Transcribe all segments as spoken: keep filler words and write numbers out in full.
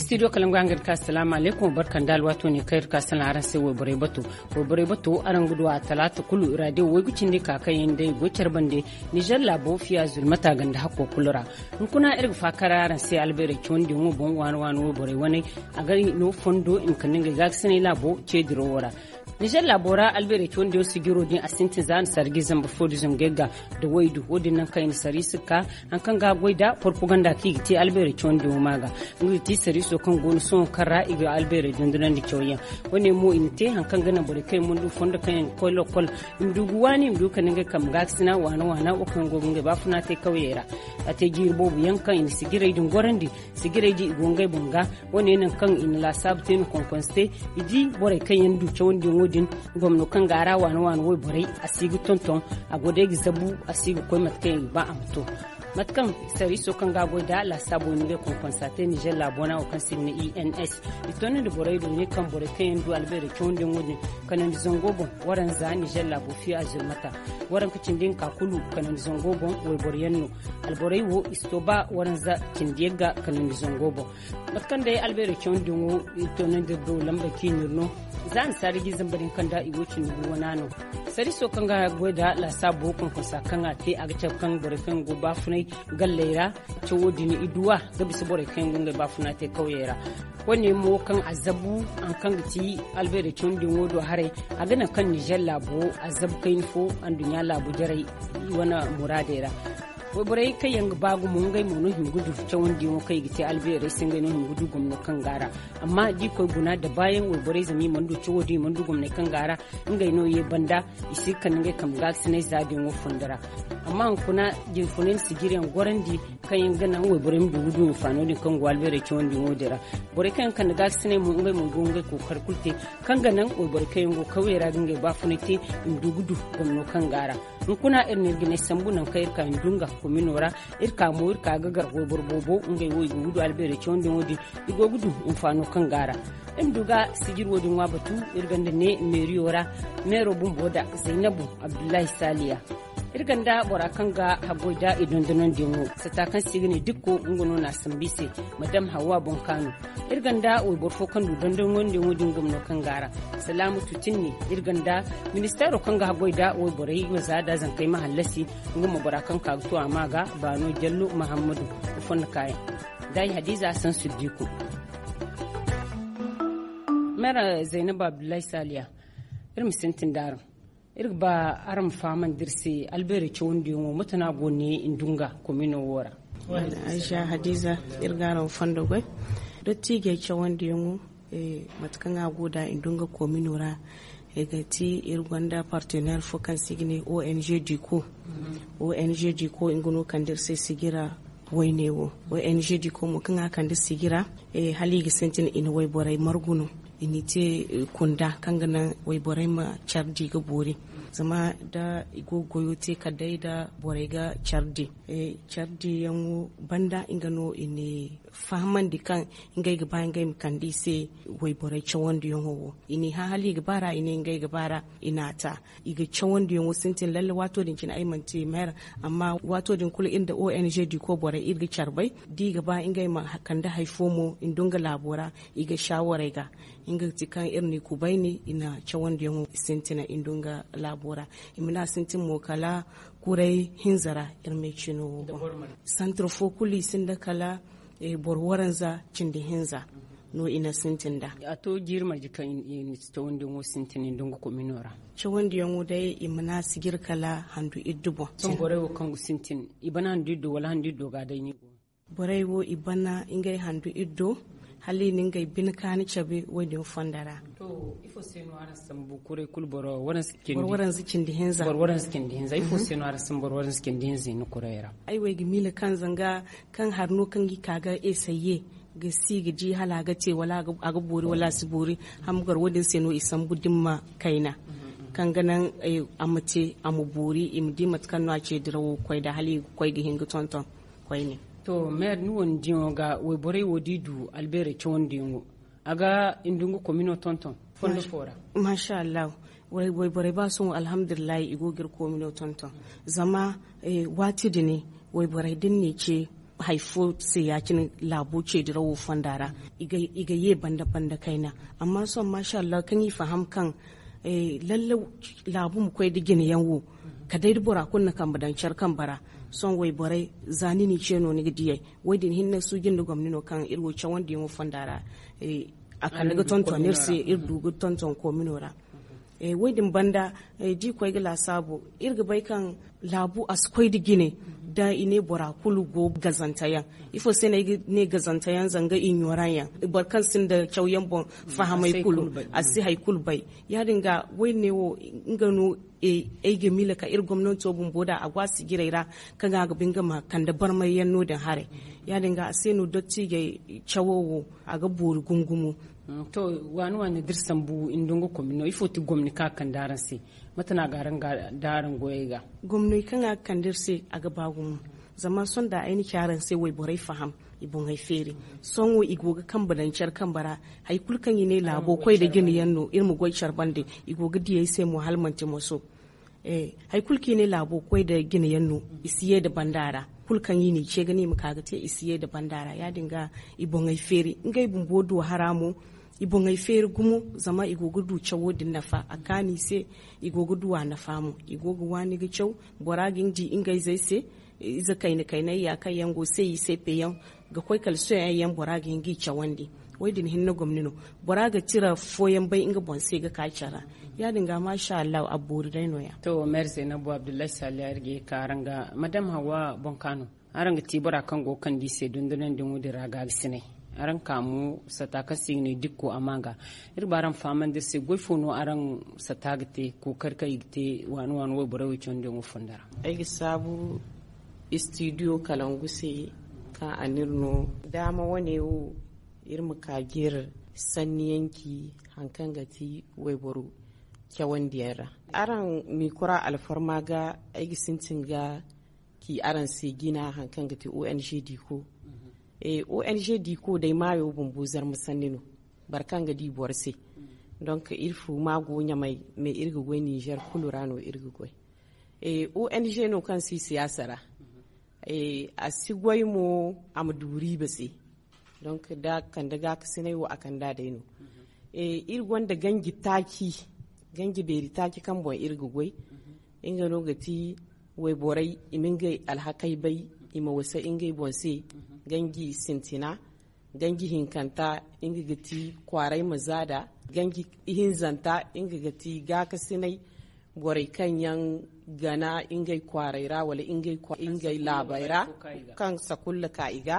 Studio kalangu yaŋ ga iri ka asalaamu alaykum barka nda alwaato ne kaŋ iri ka salaŋ araŋ se wayborey bato. Wayborey bato araŋ ga du a talaata kulu raadiyo waygu cindi ka kaŋ yaŋ day go care bande. Nizer laabo fiya zulmata ganda hakko kulu ra. Hunkuna iri ga faakar araŋ se albeerey cawandiyaŋo boŋ waani waani wayborey waney. A ga no fondo i ma kande ngey gaakasinay laabo ce dirawo ra. Nizer laabo ra albeerey cawandiyaŋo sijiro din a sintin za a na sarji zamba fo da zangay ga da waydu wo- din naŋ kaŋ i na sariisi ka haŋ kaŋ ga a goy da porpaganda kaŋ i ga te albeerey cawandiyaŋo ma ga. Nga ga ti sariiso kaŋ go no sohõ kaŋ ra i ga albeerey dondonandi cawyaŋ. Wo- ne mo i na te haŋ kaŋ ga naŋ borey kaŋ yaŋ mana du fondo kaŋ yaŋ ga koy lokol i ma du ga waani i ma du ga kande ngey kambe gaakasina waana waana wo kaŋ yaŋ go ga ngey baafuna te kawyey ra. A te jiiri boobo yaŋ kaŋ i na sijirey din gorandi. Sijirey din i go ngey boŋ ga. Wo- ne naŋ kaŋ i na laasaabu te no konkonse te. I di borey kaŋ yaŋ du cawandiyaŋo din. Gomno kaŋ ga a ra waana waana wayborey a si ga tonton. A go day ga zabu a si ga koy mate kaŋ i ga ba a ma to. Mate kaŋ sariiso kaŋ ga a goy da laasaabo i na ngey konkonse a te nizer laabo ra wo kaŋ se i ga ne i n s. I toonandi borey do ne kaŋ borey kaŋ yaŋ du albeerey cawandiyaŋo din kanandi zango boŋ. Waranza nizer laabo fiya zulmata. Waranka cindi hinka kulu kanandi zango boŋ. Wayboro yaŋ no alborey wo i si to ba waranza cindi yagga kanandi zango boŋ. Mate kaŋ day albeerey cawandiyaŋo i toonandi iri do lambey kaŋ i n'iri no. Za a na saari ga i zamba din kaŋ da i go cindi gu wana no. Sariiso kaŋ ga goy da laasaabo konkonsa kaŋ a te a ga cabe kaŋ borey kaŋ yaŋ go baafunay galley ra. Cawo din i duwa ga bisa borey kaŋ yaŋ go ngey baafuna te kawyey ra. Wo- ne mo kaŋ a zabu haŋ kaŋ ga ti albeerey cawandiyaŋo do haray. A ga naŋ kaŋ nizer laabo a zabu kayna fo anduɲɲa laabu jarey wane muraadey ra. Wayborey kaŋ yaŋ ga ba gumo ngey mo no hima ga du cawandiyaŋo kaŋ i ga te albeerey se ngey no hima ga du gomno kaŋ ga a ra. Amma da i koy guna da baayaŋ wayborey zama i mana du cawo din i mana du gomney kaŋ ga a ra. Ngey no ye banda i si ga kande ngey kambe gaakasinay za din wo fondo ra. Amma hunkuna jinfunay na sijiriyaŋ gorandi kaŋ yaŋ ga naŋ wayborey ma du ga du hinfaano din kaŋ go albeerey cawandiyaŋo din ra. Borey kaŋ yaŋ kande gaakasinay mo ngey mo go ngey kookari kulu te kaŋ ga naŋ wayborey kaŋ yaŋ go kawyey ra ga ngey baafunay te i ma du ga du gomno kaŋ ga a ra. Hunkuna iri na iri ga ne sambu naŋ kaŋ iri ka iri du nga komino ra. Iri ka mo iri ka ga gar wayboro boobo ngey wo i go ga du albeerey cawandiyaŋo din. I go ga du hinfaano kaŋ ga a ra. Iri ma du ga sijiri wo- din ŋwa batu. Iri ganda ne meeriyo ra meero bumbo da zaynabu abdullahi saliya. Iri ganda bora kaŋ ga haggoy da i dondonandiyaŋo sata kaŋ se i ga ne dikko nga no na a sambu i se. Madam hawwa boŋkaano. Iri ganda wayboro fo kaŋ du dondonandiyaŋo din gomno kaŋ ga a ra. Salaamu tutinni. Iri ganda ministeero kaŋ ga haggoy da wayborey waza da zankey ma hallasi. Nga mo bora kaŋ ka ga to a ma ga baano jallo mahammadu. Fondo kaayaŋ da ay hadiza sansu diku. Mera zainab abdullahi saliya. Iri ma sintin da araŋ. Iri ga ba araŋ ma fahamandi iri se albeerey cawandiyaŋo mate no a go ne i dunga komino wo ra? Aisha hadiza, iri ga araŋ fondo goy. Dottiijey cawandiyaŋo, mate kaŋ a go da i dunga komino ra. I ga ti iri gonda partenaire fo kaŋ se i ga ne ong diko. Ong diko nga no kande iri se sijira wayne wo. Ong diko mo kaŋ a kande sijira, hala i ga sintin i na wayborey margu no. I na i te kunda kaŋ ga naŋ wayborey ma care di ga boori. Zama da i go ga goyo te kala day da borey ga care di. Care diyaŋo banda nga no i na fahamandi kaŋ ngey ga ba ngey ma kande i se wayborey cawandiyaŋo wo. I n'i hã hala i ga ba ra i ne ngey ga ba ra. I n'a ta. I ga cawandiyaŋo sintin lalle waato din cine ay mana te maire. Amma waato din kulu iri nda ong diko borey iri ga care bay da i ga ba ngey ma kande hari fo mo i dunga laabo ra. I ga shaawarey ga nga ga ti kaŋ iri n'i kubayni i na cawandiyaŋo sintina i dunga laabo ra. I ma ne a sintin mo kala kuray hinza ra. Iri ma ay cino wo boŋ santir fo kulu i sinda kala boro waranza cindi hinza no i na sintin da. A to jiiri marje kaŋ i na cawandiyaŋo sintin i dunga komino ra? Cawandiyaŋo day i ma ne a sijir kala handu iddu boŋ. Sohõ borey wo kaŋ ga sintin i bana handu iddo wala handu iddo ga day ni go? Borey wo i bana ngey handu iddo hala i na ngey bine kaani cabe wo- din fonda ra. To ifo se no araŋ sambu kuray kulu boro waranza cindi hinza? Boro waranza cindi hinza. Ifo se no araŋ sambu boro waranza cindi hinza i na kuray ra? Ay wo ay ga miila kaŋ zanga kaŋ hari no kaŋ i ka ga eseye ga si ga di hala a ga te wala a ga boori wala a si boori. Hamgar wo- din se no i sambu dimma kayna kaŋ ga naŋ a ma te a ma boori i ma di mate kaŋ no a ce dirawo ga koy da hala i ga koy ga hin ga tonton. Koyne. To maire ni wane diyaŋo ga wayborey wo da i du albeerey cawandiyaŋo a ga i nda nga komino tonton fondo fo ra? Masha allahu. Wayborey ba sohõ alhamdulillahi i go ga iri komino tonton. Zama waati din wayborey da ni n'i ce Hari fo se ya- cine laabo ceedirawo fonda ra, i ga ye banda banda kayna. Amma sohõ maasa allah kaŋ i faham kaŋ lalle laabu ma koy nda jine yaŋ wo, kala day da bora kulu na kambe daŋ care kambe ra. Sohõ wayborey, za ni n'i ce no ni ga diyey. Wo- din hinne suuji nda gomni no kaŋ iri wo cawandiyaŋo fonda ra. A kande ga tonton iri se, iri du ga tonton koomino ra. Wo- din banda, da i koy ga laasaabu, iri ga bay kaŋ laabu a si koy nda jine. Da i ne bora kulu go gazanteyaŋ. Ifo se no ay ga ne gazanteyaŋ? Zanga i ɲooraŋ yaŋ, boro kaŋ sinda cawyaŋ boŋ fahamay kulu, a si hari kulu bay. Ya- din ga wo- din ne wo, nga no ay ga miila ka iri gomnanto bumbo da a go a sijirey ra, kaŋ a ga ba nga ma kande barmayyaŋ no- din haray. Ya- din ga a se no dottiijey cawo wo, a ga boori gumo gumo. To, waani waani da iri sambu nda nga komino, ifo ti gomni kaŋ a kande araŋ se? Mate no a ga araŋ ga da araŋ goyey ga? Gomney kaŋ a ga kande iri se, a ga ba gumo. Zama sohõ da ay na ci araŋ se wayborey faham, i boŋey feeri. Sohõ i go ga kambe daŋ care kambe ra. Hari kulu kaŋ i ne laabo koy nda jine yaŋ no, iri ma goy care bande. I go ga diyey se mo hala manti moso. Hari kulu kaŋ i ne laabo koy nda jine yaŋ no, i si ye nda banda ra. Kulu kaŋ i n'i ce ga ne i ma ka ga te, i si ye nda banda ra. Ya- din ga i boŋey feeri, ngey bumbo du hara mo. I boŋey feeri gumo, zama i go ga du cawo din nafa a kaanu i se. I go ga du a nafa mo, i go ga waani ga caw. Bora ga ni di ngey zey se, ize kayna kaynay ya kaŋ yaŋ go se i se peyaŋ ga koy kala soyaŋ yaŋ bora ga hin ga i cawandi. Wo- din hinne gomni no, bora ga tira fooyaŋ bay nga boŋ se ga ka care ra. Ya- din ga maasa allahu a boori day nooya. To, mere zainabu abdullahi saliya iri ga ye ka araŋ ga madam hawa boŋ ka no. Araŋ ga ti bora kaŋ go ga kande i se dondonandi ŋo din ra gaabisinay. Araŋ ka mo sata kaŋ se i ga ne dikko a ma ga. Iri ba araŋ fahamandi iri se goy fo no araŋ sata ga te, kookari kaŋ i ga te waani waani wayborey wo cawandi yaŋo fondo ra? Ay ga saabu istidiyo kalangu se, kaŋ a n'iri no daama wane wo, iri ma ka ga iri sanniyaŋ ci hari kaŋ ga ti wayboro cawandiyaŋ ra. Araŋ miikura alfarma ga, ay ga sintin ga ci araŋ se jina hari kaŋ ga ti ong diiko. Ong diiko day maayo bumbo zarma sanni no. Boro kaŋ ga di boro se. Donk iri fu ma go ɲamay, mais iri ga goy ninzeer kulu ra no iri ga goy. Ong no kaŋ si siyaasa ra. A si goy mo a ma du riiba se. Donk da kande gaakasinay wo a kande a day no. Iri gonda ganji taaci, ganji beeri taaci kaŋ boŋ iri ga goy. Nga no ga ti wayborey i ma ngey alhakey bay, i ma wasa ngey boŋ se. Ganji sintina, ganji hinkanta, nga ga ti kwaaray ma zaada. Ganji hinzanta, nga ga ti gaakasinay, borey kaŋ yaŋ gana ngey kwaaray ra wala ngey laabey ra, kaŋ sakulla ka i ga.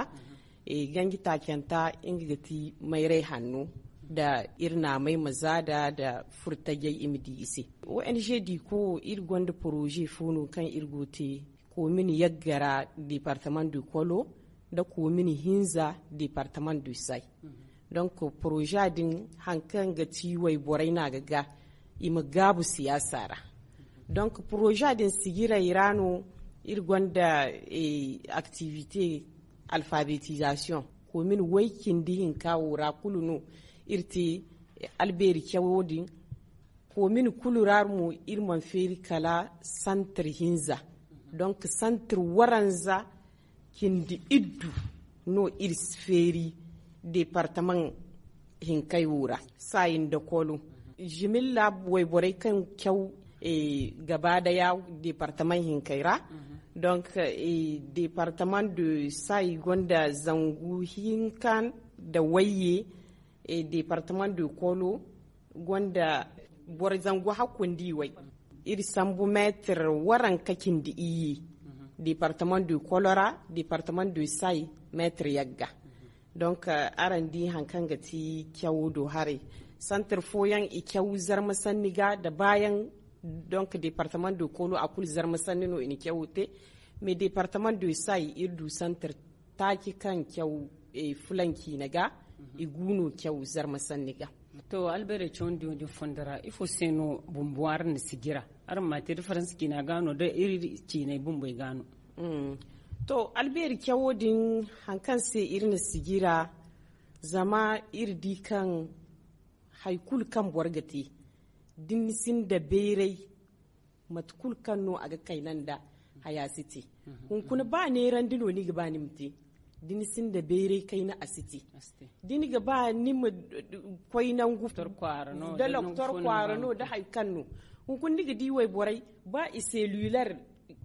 Ganji taacanta, nga ga ti mayray hanno, nda iri naamey ma zaada nda furtajey i ma di i se. Ong diiko, iri gonda poroze fo no kaŋ iri go ga te koomin yagga ra, departement du kolo, nda koomin hinza, departement du say. Donk poroza din hari kaŋ ga ti wayborey no a ga ga i ma gaabu siyaasa ra. Donk poroza din sijiray ra no iri gonda aktivite alfabetizasiyoŋ. Koomin way cindi hinka wo ra kulu no iri te albeeri cawo din. Koomin kulu ra mo iri mana feeri kala santir hinza. Donk santir waranza cindi iddu no iri feeri departamaŋ hinkey wo ra, saayi nda koolo. Zimilla wayborey kaŋ caw gaba daya departamaŋ hinkey ra. Donk departamaŋ de saayi gonda zangu hinka nda wayye. Departamaŋ de koolo gonda boro zangu hakku nda i way. Iri sambu meetir waranka cindi iyye. Departamaŋ de koolo ra, departamaŋ de saayi, meetir yagga. Donk araŋ di hari kaŋ ga ti cawo do haray. Santir fooyaŋ i caw zarma sanni ga nda baayaŋ. Donk departamaŋ de koolo a kulu zarma sanni no i na cawo te. Mais departamaŋ de saayi iri du santir taaci kaŋ caw fulanci na ga. I gu no caw zarma sanni ga. To, albeerey cawandiyo din fondo ra ifo se no bumbo araŋ na sijira? Araŋ ma te da faransa ciina ga no da iri ciiney bumbey ga no? To, albeeri cawo din hari kaŋ se iri na sijira, zama iri di kaŋ hari kulu kaŋ boro ga te, da ni sinda bayray, mate kulu kaŋ no a ga kayna nda haya si te. Hunkuna ba neerandi no ni ga ba ni ma te. Da ni sinda bayray kayna a si te. Da ni ga ba ni ma koy nangu da loktor kwaara no da hari kaŋ no, hunkuna ni ga di wayborey ba i se luler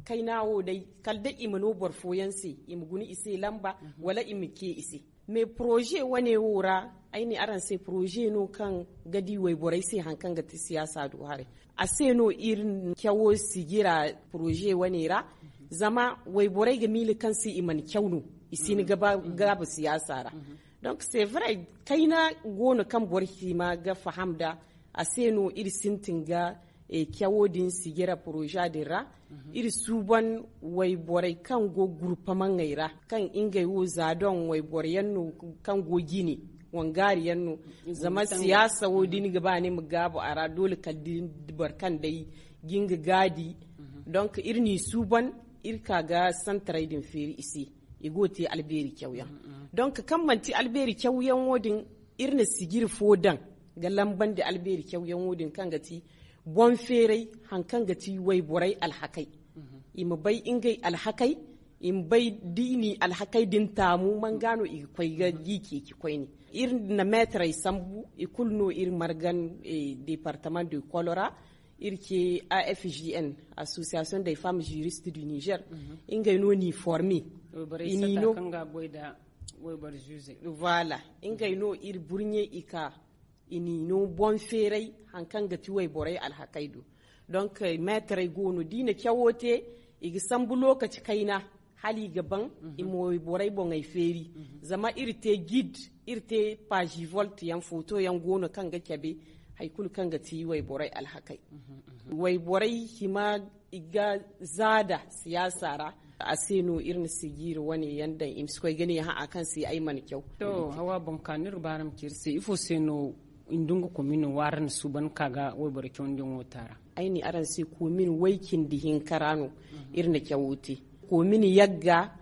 kayna wo day, kala day i ma no boro fooyaŋ se, i ma guna i se lamba, wala i ma ce i se. Mais poroze wane wo ra, ay ne araŋ se poroze no kaŋ ga di wayborey se hari kaŋ ga ti siyaasa do haray. A se no iri cawo sijira poroze wane ra. Zama wayborey ga miila kaŋ se i mana caw no, i si ni gaba siyaasa ra. Donc c'est vrai, kayna go no kaŋ boro hima ga faham nda a se no iri sintin ga cawo din sijira poroza din ra. Iri suuban wayborey kaŋ go gurpamaŋey ra, kaŋ ngey wo za doŋ wayboro yaŋ no, kaŋ go jine wangaari yaŋ no. Zama siyaasa wo da ni ga ba ni ma gaabu a ra, doole kala da boro kaŋ day ga nga gaadi. Donc iri n'i suuban, iri ka ga santaray din feeri i se, i go te albeeri cawyaŋ. Donc kaŋ manti albeeri cawyaŋo din, iri na sijiri fo daŋ ga lambandi albeeri cawyaŋo din kaŋ ga ti boŋ feeray, hari kaŋ ga ti wayborey alhakey. I ma bay ngey alhakey, i ma bay da i n'i alhakey din taamu man ga no i ga koy ga gi ceeci koyne. Iri na meetarey sambu, i kulu no iri margan departement de kolora. Iri ce afgn, association des femmes juristes du niger. Ngey no n'i forme, i n'i no voilà, ngey no iri burɲe i ka, i n'i no boŋ feeray, hari kaŋ ga ti wayborey alhakey do. Donc meetarey go no da i na cawo te, i ga sambu lookaci kayna, hala i ga baŋ i ma wayborey boŋey feeri. Zama iri te gid, iri te pazivolt yaŋ, footo yaŋ go no kaŋ ga cabe hari kulu kaŋ ga ti wayborey alhakey. Wayborey hima i ga zaada siyaasa ra. A se no iri na sijiiri wane yaŋ daŋ, i ma si koy ga ne hã a kaŋ se ay mana caw. To, hawa boŋ ka no iri ga ba araŋ ma ci iri se, ifo se no i nda nga komino waara na suuban ka ga wayboro cawandiyaŋo taara? Ay ne araŋ se, komin way cindi hinka ra no iri na cawo te. Komin yagga,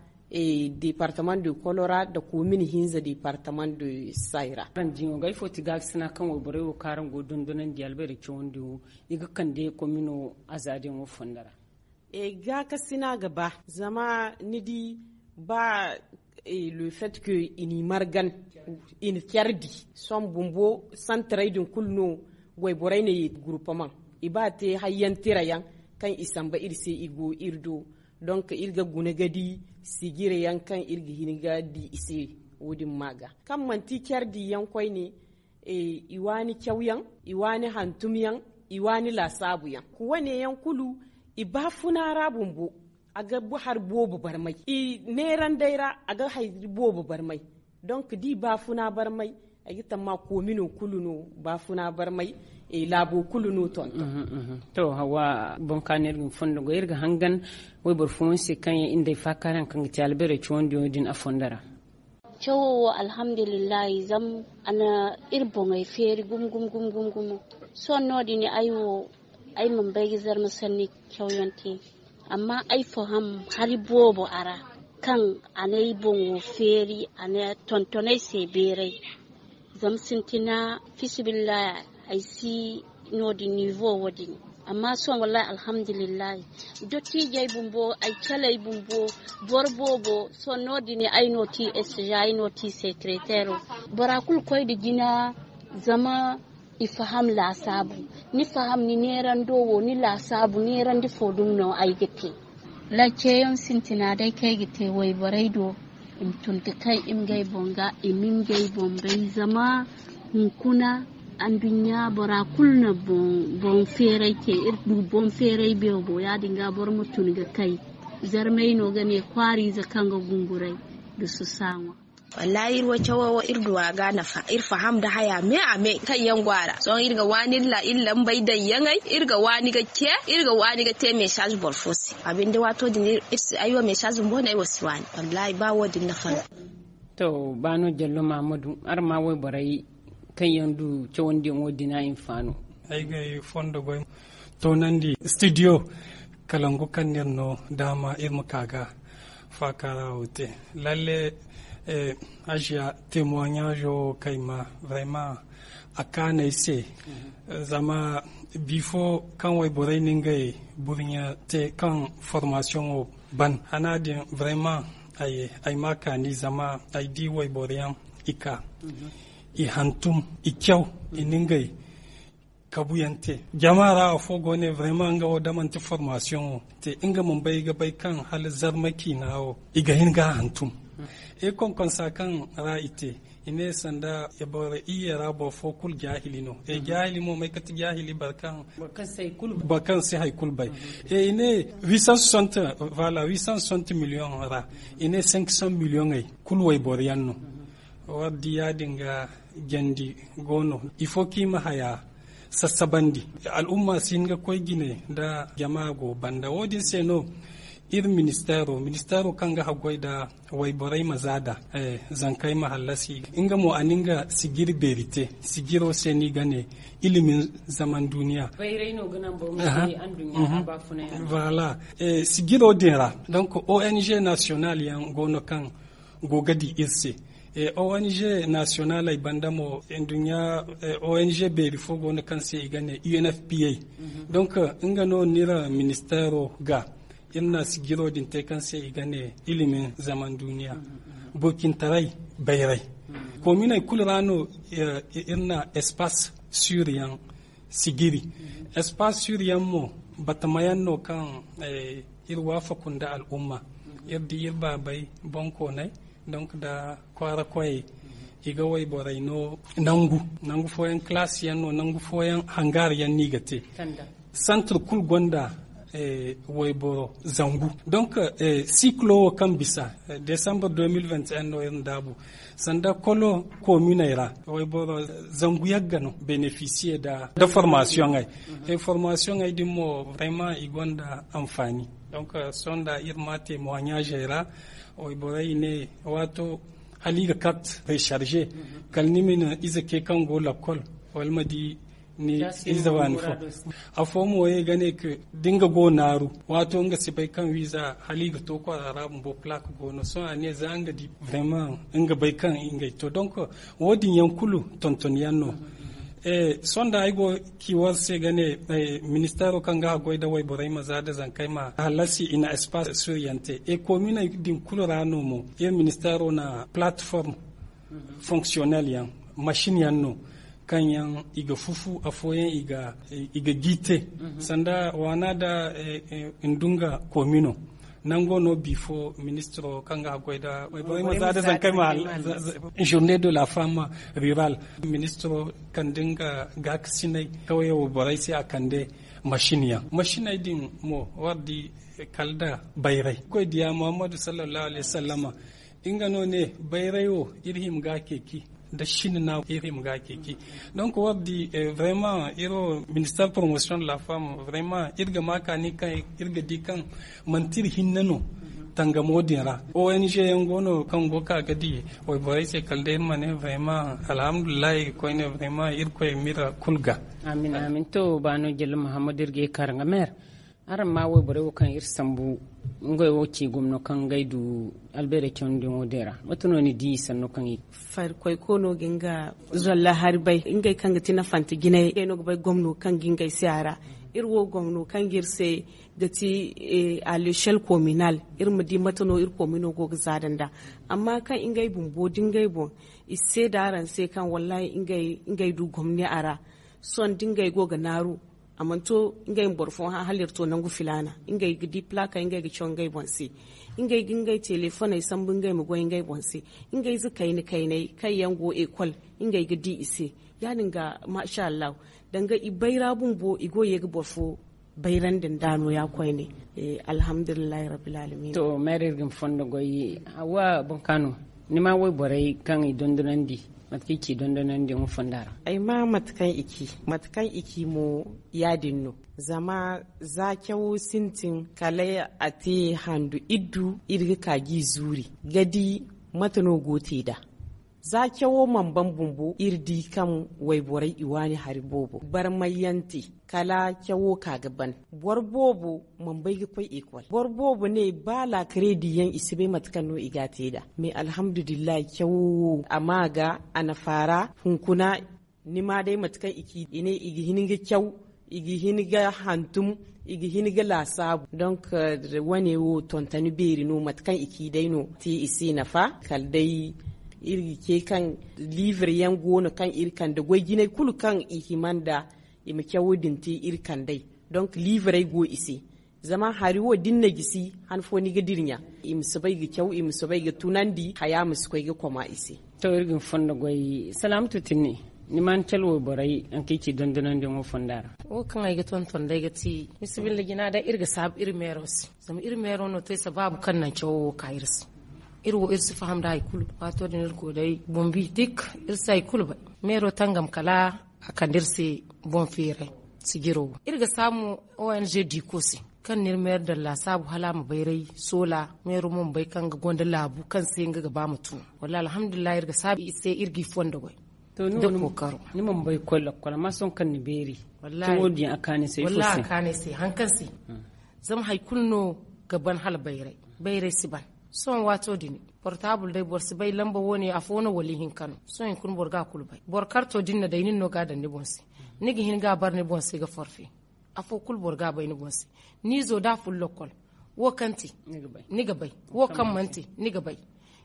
departement de kolora nda komin hinza departement de sayra. Araŋ diyaŋo ga ifo ti gaakasina kaŋ wayborey wo kaŋ araŋ go ga dondonandi albeeri cawandiyaŋo, i ga kande komino azaadiyaŋo fondo ra? Gaakasina ga ba, zama ni di, ba le fait que i n'i margan, i na care di. Sohõ bumbo santarey din kulu no wayborey na ye gurpamaŋ, i ba te hayyaŋ tira yaŋ kaŋ i samba iri se, i go iri do. Donc iri ga guna ga di sijire yaŋ kaŋ iri ga hin ga di i se. Wo-din ma ga kaŋ manti care di yaŋ koyne, i waani cawyaŋ, i waani hantumyaŋ, i waani laasaabuyaŋ. Wane yaŋ kulu, i baafuna ra bumbo, a ga hari boobo barmay. I neerandey ra, a ga hari boobo barmay. Donc da i baafuna barmay, ay ga tamma koomino kulu no baafuna barmay, laabo kulu no tonton. To, hawa boŋ ka no iri ga ni fondo goy, iri ga hangan wayboro fooyaŋ se kaŋ yaŋ iri nd'ey faakaaray hari kaŋ ga ti albeerey cawandiyaŋo din a fondo ra. Cawo wo, alhamdulillahi, zama a na iri boŋey feeri gumo gumo gumo gumo. Sohõ no-din ay wo, ay mana bay ga zarma sanni cawyaŋ te, amma ay faham hari boobo a ra, kaŋ a n'ay boŋo feeri, a na tonton ay se beeray. Zama sintina, fisibillahi, ay si no-din nivo wo-din. Amma sohõ wallahi alhamdulillahi, dottijey bumbo, ay caley bumbo, boro boobo, sohõ no-din ay no ti estiza, ay no ti sekreteero. Bora kulu koy nda jina, zama i faham laasaabu. Ni faham ni neerando wo, ni laasaabu neerandi fo dumi no ay ga te. Laaceyaŋ sintina day kaŋ ay ga te wayborey do, i ma tun ga kay i ma ngey boŋ ga, i ma ngey boŋ bay. Zama hunkuna anduɲɲa bora kulu na boŋ feeray te. Iri du boŋ feeray beebo, yaadin ga boro ma tun ga kay. Zarmey no ga ne kwaariize kaŋ ga gunguray nda susa ŋwa. Wallahi, iri wo cawo wo, iri du a ga nafa, iri faham nda haya me a me kaŋ yaŋ go a ra. Sohõ iri ga waani iri lambey daŋ yaŋey, iri ga waani ga ce, iri ga waani ga te message boro fo se. A binde, waato din iri si, ay wo message bumbo no ay wo si waani. Wallahi, ba wo-din nafa no. To, ba no, Jallo Mahamadu, araŋ ma wayborey kaŋ yaŋ du cawandiyaŋo din a hinfaano? Ay ga ay fondo goy toonandi studio kalangu kaŋ n'iri no daama iri ma ka ga faakaara wo te. Lalle, aziya témoignage wo kay ma vraiment a kaanay se. Zama bifo kaŋ wayborey na ngey burɲa te kaŋ formation wo ban, hana din vraiment Ay ma a kaani zama ay di wayboro yaŋ i ka i hantum, i caw, i na ngey kabu yaŋ te. Jama ra afo go ne, vraiment, nga wo da manti formation wo te, nga mana bay ga bay kaŋ hala zarma ciina wo i ga hin ga a hantum. I konkonsa kaŋ ra i te, i ne sanda boro iyye ra boro fo kulu jaahili no. Jaahili mo, may kati jaahili? Boro kaŋ si hay kulu bay. I ne huit cent soixante, voilà, huit cent soixante million ra, i ne cinq cent million ay kulu wayboro yaŋ no. War di yaadin ga jandi go no, il faut kaŋ i ma haya sassabandi. Al'umma si hin ga koy jine nda jama go banda. Wo-din se no iri ministeero, ministeero kaŋ ga haggoy nda wayborey ma zaada, zankey ma hallasi, nga mo a na nga sijiri beeri te. Sijiro se no i ga ne ilimin zaman duniya. Voilà. Sijiro din ra, donc, O N G national yaŋ go no kaŋ go ga di iri se. O N G nationaley banda mo, nduɲɲa O N G beeri fo go no kaŋ se i ga ne U N F P A. Donc, nga no ni ra ministeero ga, iri na sijiro din te kaŋ se i ga ne ilimin zaman duniya. Burcintaray bayray. Kominey kulu ra no iri na espace sûr yaŋ sijiri. Espace sûr yaŋ mo, batama yaŋ no kaŋ iri waafaku nda al'umma. Iri di iri baabey bonkooney, donc, nda kwaara koyey, i ga wayborey no nangu. Nangu fooyaŋ classe yaŋ no, nangu fooyaŋ hangar yaŋ no i ga te. Centre kulu gonda wayboro zangu. Donc, cycle wo kaŋ bisa, décembre deux mille vingt et un no iri na daabu. Sanda kolo kominey ra, wayboro zangu yagga no bénéficier da formation ay. Formation ay din mo, vraiment, i gonda anfaani. Donc, sonda iri ma témoignage ay ra, wayborey ne, waato hala i ga carte recharger, kala ni ma ni ize ke kaŋ go lakkol, wala ma di ni ize waani fo. Afo mo ye ga ne ka da nga go naaru, waato nga si bay kaŋ wiiza hala i ga to kwaara ra bumbo, plaque go no. Sohõ a ne za nga di vraiment nga bay kaŋ ngey to. Donc, wo-din yaŋ kulu tonton yaŋ no. Sonda ay go ci war se ga ne, ministeero kaŋ ga haggoy nda wayborey ma za nda zankey ma hallasi, i na espace sûr yaŋ te. Kominey din kulu ra no mo, iri ministeero na plateforme fonctionnel yaŋ, machine yaŋ no kaŋ yaŋ i ga fufu, afooyaŋ i ga gi te. Sanda waana da ndunga komino, nango no bifo ministro kaŋ ga haggoy nda wayborey ma za nda zankey ma journée de la femme rurale, ministro kande nga gaakasinay kawye wayborey se, a kande machine yaŋ. Machiney din mo, war di kala da bayray. Koy diya Muhammadu sallallahu alaihi wasallama, nga no ne, bayray wo iri hima ga ceeci, da sinina iri hima ga ceeci. Donc, war di, vraiment, iri wo ministère promotion de la femme, vraiment, iri ga ma kaani kaŋ iri ga di kaŋ manti iri hinne no tangamo din ra. O N G yaŋ go no kaŋ go ka ga di wayborey se, kala day iri ma ne, vraiment, alhamdulillahi, koyne, vraiment, Irkoy m'iri kulu ga. Amin, amin. To, baano Jallo Muhammadu, iri ga ye ka araŋ ga meer. Araŋ ma wayborey wo kaŋ iri sambu, ngey wo ci gomno kaŋ ngey du albeerey cawandi yaŋo din ra. Mate no ni di sanno kaŋ i Farikoy koono ga nga zolla hari bay, ngey kaŋ ga ti nafante jinay, ngey no ga bay gomno kaŋ ga ngey se a ra. Iri wo gomno kaŋ ga iri se ga ti, eh, à l'échelle communale, iri ma di mate no iri komino go ga zaada nda. Amma kaŋ ngey bumbo da ngey boŋ, i si seeda araŋ se kaŋ wallahi ngey, ngey du gomni a ra. Sohõ da ngey go ga naaru, a mana to ngey ma boro fo hã hala iri to nangu filaana. Ngey ga di plaakey, ngey ga caw ngey boŋ se. Ngey ga ngey telefoney sambu ngey ma goy ngey boŋ se. Ngey ize kayna kayney kaŋ yaŋ go ekol, ngey ga di i se. Yaadin ga, masha Allahu, danga i bayra bumbo, i go ye ga boro fo bayrandi nda nooya koyne. Eh, alhamdulillahi rabbil alamin. To, Mary, iri ga ni fondo goy. Hawa, boŋ ka no, ni ma wayborey kaŋ i dondonandi, mate kaŋ i ci dondonandiyaŋo fonda ra? Ay ma mate kaŋ i ci, mate kaŋ i ci mo, yaadin no. Zama za cawo sintin, kala a te handu iddu, iri ga ka g'i zuuri ga di mate no go te nd'a. Za cawo mana ban bumbo, iri di kaŋ wayborey i waani hari boobo. Barmayante, kala cawo ka ga ban. Boro boobo mana bay ga koy ekol. Boro boobo ne, ba laakarediyaŋ, i si bay mate kaŋ no i ga a te nd'a. Mais, alhamdulillahi, cawo wo, a ma ga, a na faara. Hunkuna, ni ma day mate kaŋ i ci, i ne i ga hin ga caw, I ga hin ga hantum, i ga hin ga laasaabu. Donc, wane wo tontoni beeri no, mate kaŋ i ci day no te i si nafa. Kala day iri ga ce kaŋ liibre yaŋ go no kaŋ iri kande goy jinay kulu kaŋ i hima nda i ma cawo din te iri kandey. Donc liibrey go i se. Zama hari wo da ni na gisi han fo ni ga dirɲa, i ma soobay ga caw, i ma soobay ga tunandi, haya ma si koy ga koma i se. To, iri ga ni fondo goy. Salaamatu tinni, ni ma ni cala wayborey haŋ kaŋ i ci dondonandiyaŋo fonda ra? Wo kaŋ ay ga tonton day ga ti, bismilla jina day iri ga saabu iri meero se. Zama iri meero no te sabaabu kaŋ naŋ cawo wo ka iri se. Iri wo iri si faham da hari kulu. Waato din iri go day bombi dik, iri si hari kulu bay. Meero tangam kala a kande iri se boŋ feeray sijiro wo. Iri ga saabu mo O N G diiko se, kaŋ n'iri meero daŋ laasaabu hala a ma bayray soola. Meero mo ma bay kaŋ nga gonda laabu kaŋ se nga ga ba ma tun. Wallahi alhamdulillahi, iri ga saabu i se, iri g'i fondo goy. To, ni mana bay koy lakkol, amma sohõ kaŋ ni beeri, cawo din a kaanu ay se ifo se? Wallahi a kaanu ay se, haŋ kaŋ se. Zama hari kulu no ga ban hala bayray. Bayray si ban. Sohõ waato din portaabul day, boro si bay lamba wo-ne afo no wala ihinka no. Sohõ hunkuna boro ga a kulu bay. Boro karto din na day, nin no ga a daŋ ni boŋ se. Ni ga hin ga a bar ni boŋ se ga forfe. Afo kulu boro ga a bay ni boŋ se. Ni izo da a fun lakkol, wo kaŋ te, ni ga bay. Wo kaŋ mana te, ni ga bay.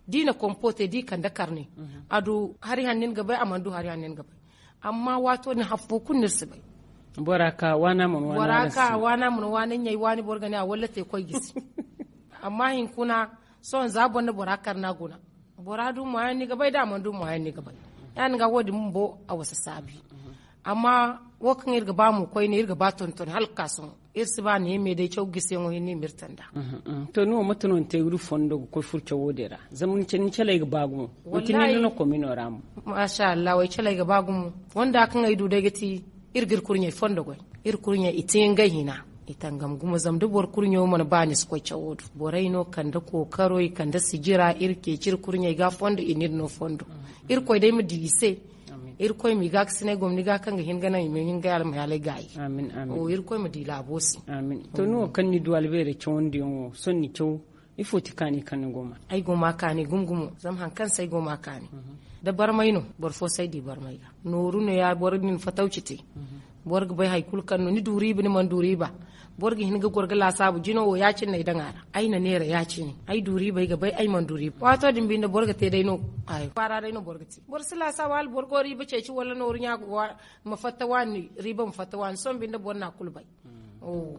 Da i na kompo te, da i kande karne, a du hari hanno ni ga bay, a mana du hari hanno ni ga bay. Amma waato din hari fo kulu no iri si bay. Bora ka waana mana waana, bora ka waana mana waana ɲay waani, boro ga ne a walla te koy gisi. Amma hinkuna, sohõ za boro na bora karna guna. Bora du mo hayaŋ ni ga bay, da a mana du mo hayaŋ ni ga bay. Ya-din ga wo-din bumbo a wasa saabi. Amma wo kaŋ iri ga ba mo koyne, iri ga ba tonton hala ga ka sohõ. Iri si ba ne me day caw gisiyaŋo hinne ma iri tanda. To, ni wo mate no ni te ga du fondo ga koy furo cawo din ra? Zama ni caley ga ba gumo. Manti ni no komino ra mo? Masha Allah, ay caley ga ba gumo. Fonda kaŋ ay du day ga ti, iri ga iri kurɲey fondo goy. Iri kurɲey i te ngey hina. I tangam gumo, zama da boro kurɲo mana ba, ni si koy cawo do. Borey no kande kookaro, i kande sijira, iri ceeci iri kurɲey ga fondo, i n'iri no fondo. Irkoy day ma di i se. Irkoy m'i gaakasinay gomni ga kaŋ ga hin ga naŋ i ma hin ga almayaalay gaayi. Irkoy ma di laabo se. To, ni wo kaŋ ni du albeerey cawandiyaŋo, sohõ ni caw, ifo ti kaani kaŋ ni go ma? Ay go ma kaani gumo-gumo, zama haŋ kaŋ se ay go ma kaani, da barmay no, boro fo si ay di barmay ga. Nooru no ya, boro din fatawci te. Boro ga bay hari kulu kaŋ no ni du riiba, ni mana du riiba. Boro ga hin ga goro ga laasaabu, jino wo ya-cine no ay daŋ a ra. Ay na neera ya-cine. Ay du riiba, ay ga bay, ay mana du riiba. Waato din binde boro ga te day no. Kwaara day no boro ga te. Boro si laasaabu hala boro go riiba ceeci wala nooru ɲa ma fatta waani, riiba ma fatta waani. Sohõ binde boro na a kulu bay.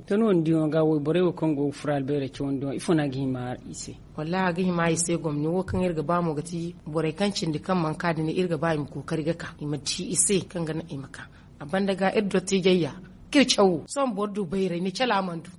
To, ni wo ni diyaŋo ga wayborey wo kaŋ go ga furo albeerey cawandiyaŋo, ifo no a ga hima i se? Wallahi a ga hima i se gomni wo kaŋ iri ga ba mo ga ti borey kaŋ cindi kaŋ mana ka din, iri ga ba i ma kookari ga ka, i ma ci i se kaŋ ga naŋ i ma ka. A banda ga iri dottiijey ya, kaŋ iri cawo sohõ boro du bayray, ni cala mana du.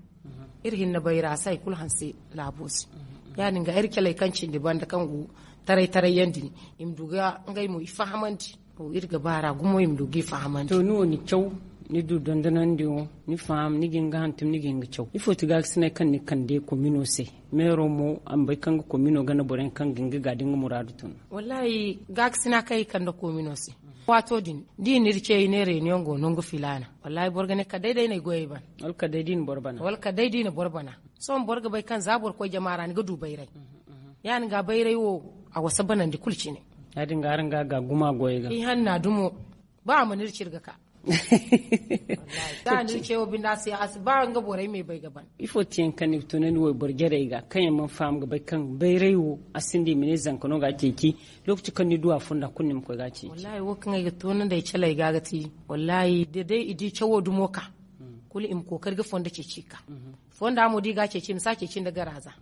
Iri hinne bayra a si hari kulu hanse laabo se. Ya-din ga iri caley kaŋ cindi banda kaŋ go taray-taray yaŋ din, i ma du ga ngey mo i fahamandi. Iri ga ba ra gumo i ma du g'i fahamandi. To, ni wo ni caw, ni du dondonandiyaŋo, ni faham, ni ga hin ga hantum, ni ga hin ga caw. Ifo ti gaakasinay kaŋ ni kande komino se? Meero mo a ma bay kaŋ ga komino gana boroyaŋ kaŋ ga hin ga ga da nga muraadu tun. Wallahi gaakasina kaŋ i kande komino se, waato din da i n'iri ce i ne reunion go nangu filaana, wallahi boro ga ne kala day da ay na ay goyey ban. Wala kala day da i na boro bana. Sohõ boro ga bay kaŋ za boro koy jama ra ni ga du bayray. Ya-din ga bayray wo, a wasa banandi kulu cine. Ya-din ga araŋ ga ga guma goyey ga. Ihanna dumo, ba a mana iri ciri ga ka. Za a n'iri ce wo binde a si, a si ba nga borey me bay ga ban. Ifo ti yaŋ kaŋ ni ga tunandi wayboro jarey ga kaŋ yaŋ mana faham ga bay kaŋ bayray wo a sinda i ma ne zanka no ga a ceeci? Lokaci kaŋ ni du a fonda kulu ni ma koy ga a ceeci. Wallahi wo kaŋ ay ga tunandi ay caley ga ga ti, wallahi da day i di cawo dumo ka, kulu i ma kookari ga fondo ceeci ka. Fonda mo da i ga a ceeci, i ma si a ceeci nda garaza.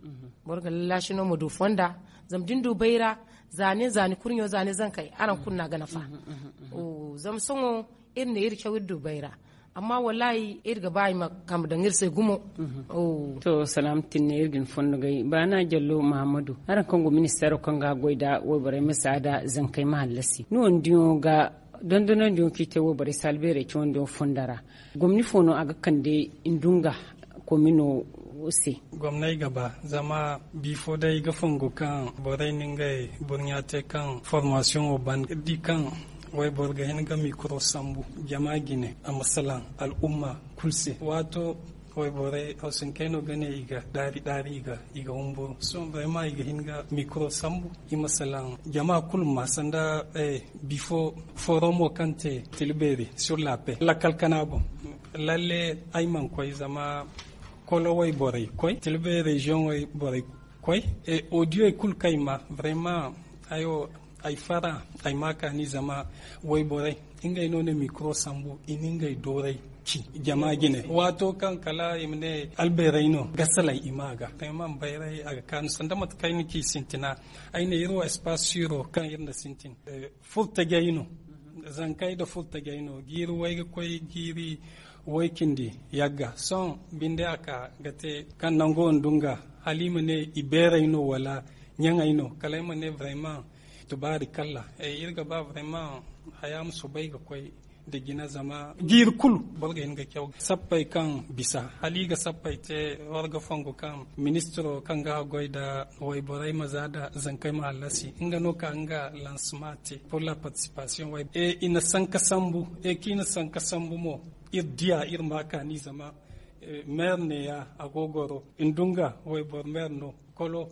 Boro ga lallaasi no ma du fonda. Zama da ni du bayra, za nin za ni kurɲo, za ni zankey, araŋ kulu no a ga nafa. Zama sohõ iri ne iri caw iri du bayra, amma wallahi iri ga ba i ma kambe daŋ iri se gumo. To, salaama tinne, iri ga ni fondo gay. Baana Jallo Mahammadu, araŋ kaŋ go ministeero kaŋ ga goy nda wayborey ma saada zankey ma hallasi, ni wo ni diyaŋo ga dondonandiyaŋo kaŋ i te wayborey se albeerey cawandiyaŋo fonda ra, gomni fo no a ga kande nda nga komino se? Gomney ga ba, zama bifo day ga fongu kaŋ borey na ngey burɲa te kaŋ formasiyoŋo ban, iri di kaŋ wayboro ga hin ga mikro sambu jama jine, a ma salaŋ al'umma kulu se. Waato wayborey hawsinkey no ga ne i ga daari-daari, i ga, i ga humburu. Sohõ vraiment i ga hin ga mikro sambu, i ma salaŋ jama kulu ma sanda, eh, bifo foromo kaŋ te Tilbeeri sur la paix lakkal kana boŋ. Lalle, ay mana koy zama kolo wayborey koy, tilbe reziyoŋ wayborey koy. Odiyey kulu kaŋ ay ma, vraiment, ay wo, ay fara, ay ma kaani zama wayborey ngey no na mikro sambu, i na ngey dooray ci jama jine. Waato kaŋ kala i ma ne albeerey no, gasaley i ma ga vraiment bayray a ga kaanu sanda mate kaŋ ay na ci sintina. Ay ne iri wo espace siro kaŋ iri na sintin furtajey no, zankey nda furtajey no, jiiri way ga koy jiiri way cindi yagga. Sohõ binde a ka ga te kaŋ nango nda nga hala i ma ne i beerey no wala ɲaŋey no, kala ay ma ne vraiment tubaari kalla. Iri ga ba vraiment haya ma soobay ga koy nda jina zama jiiri kulu boro ga hin ga caw sappey kaŋ bisa hala i ga sappey te. Warga fongu kaŋ ministiro kaŋ ga haggoy nda wayborey ma za nda zankey ma hallasi nga no ka nga lansema te pour la participation way. I na sanka sambu, kaŋ i na sanka sambu mo, iri diya iri ma kaani zama meer neeya a go goro, ndunga wayboro meer no, kolo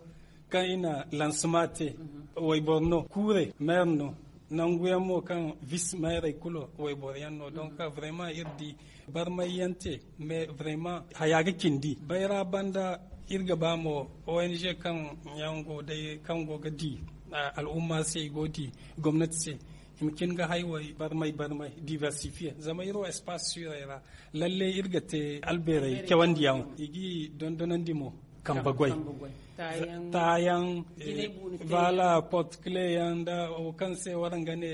kaŋ i na lansema te, wayboro no, kuure meer no, nangu yaŋ mo kaŋ vis meerey kulu wayboro yaŋ no. Donc vraiment iri di barmay yaŋ te, mais vraiment haya ga cindi bayra banda. Iri ga ba mo ong kaŋ yaŋ go day kaŋ go ga di al'umma se i go di gomnati se, i ma cin ga haywey barmay barmay diversifier zama iri wo espace sirey ra. Lalle iri ga te albeerey cawandiyaŋ, i g'i dondonandi mo kambe goy, taayaŋ, bala porte clé yaŋ nda wo kaŋ se waraŋ ga ne